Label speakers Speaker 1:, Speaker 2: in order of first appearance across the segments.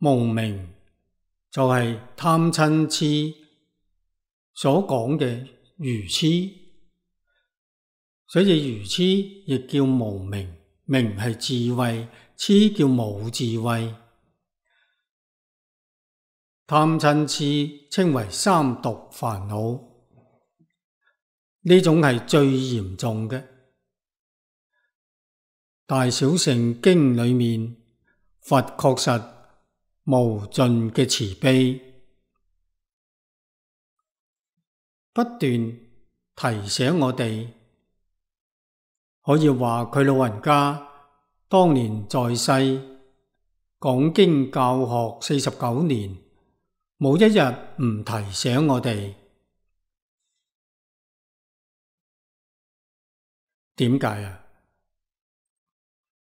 Speaker 1: 無明就係貪嗔癡所講嘅愚癡，所以愚癡亦叫無明，明係智慧，癡叫冇智慧。貪嗔癡稱為三毒煩惱，呢種係最嚴重嘅。大小乘經裏面，佛確實無盡嘅慈悲，不斷提醒我哋，可以話佢老人家當年在世講經教學49年，冇一日唔提醒我哋。點解啊？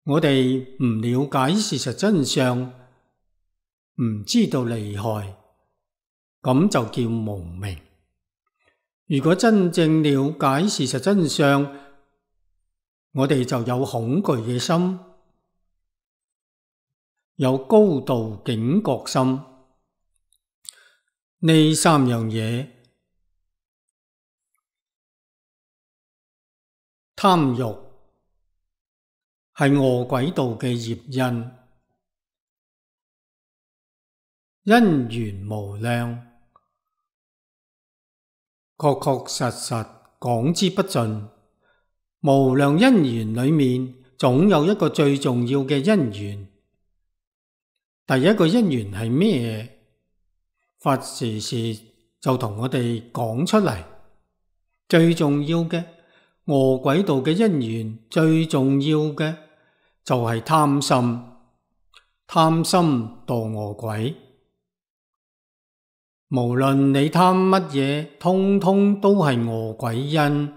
Speaker 1: 我哋唔了解事實真相，唔知道利害，咁就叫無明。如果真正了解事實真相，我哋就有恐懼嘅心，有高度警覺心。呢三樣嘢，貪欲係餓鬼道嘅業因，因緣無量，確確實實講之不盡。無量因緣裏面，總有一個最重要嘅因緣。第一個因緣係咩？佛時時就同我哋講出嚟。最重要嘅餓鬼道嘅因緣，最重要嘅就係貪心，貪心墮餓鬼。無論你貪乜嘢，通通都係餓鬼因。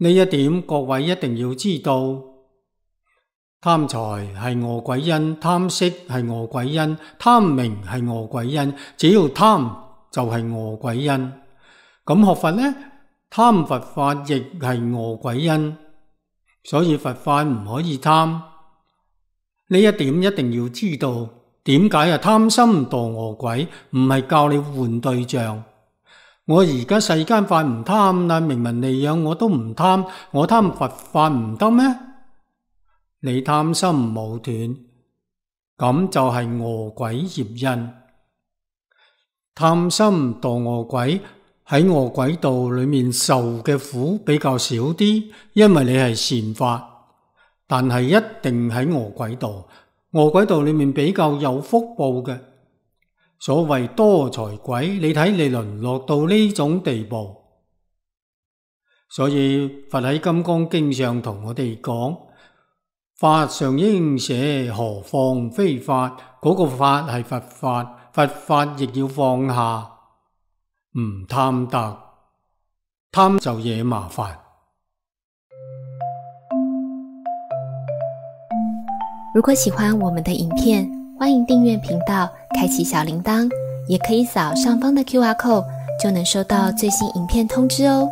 Speaker 1: 呢一點各位一定要知道。貪財係餓鬼因，貪色係餓鬼因，貪名係餓鬼因。只要貪就係餓鬼因。咁學佛呢？貪佛法亦係餓鬼因，所以佛法唔可以貪。呢一點一定要知道。點解啊？貪心墮餓鬼，唔係教你換對象。我而家世間法唔貪啦，名聞利養我都唔貪，我貪佛法唔得咩？你貪心冇斷，咁就係餓鬼業因。貪心墮餓鬼，喺餓鬼道裏面受嘅苦比較少啲，因為你係善法，但係一定喺餓鬼道。餓鬼道裏面比較有福報嘅。所謂多財鬼，你睇你淪落到呢種地步。所以佛喺《金剛經》上同我哋講，法上應捨，何況非法？嗰個法係佛法，佛法亦要放下，唔貪得，貪就惹麻煩。
Speaker 2: 如果喜歡我們的影片，歡迎訂閱頻道，開啟小鈴鐺，也可以掃上方的QR code，就能收到最新影片通知哦。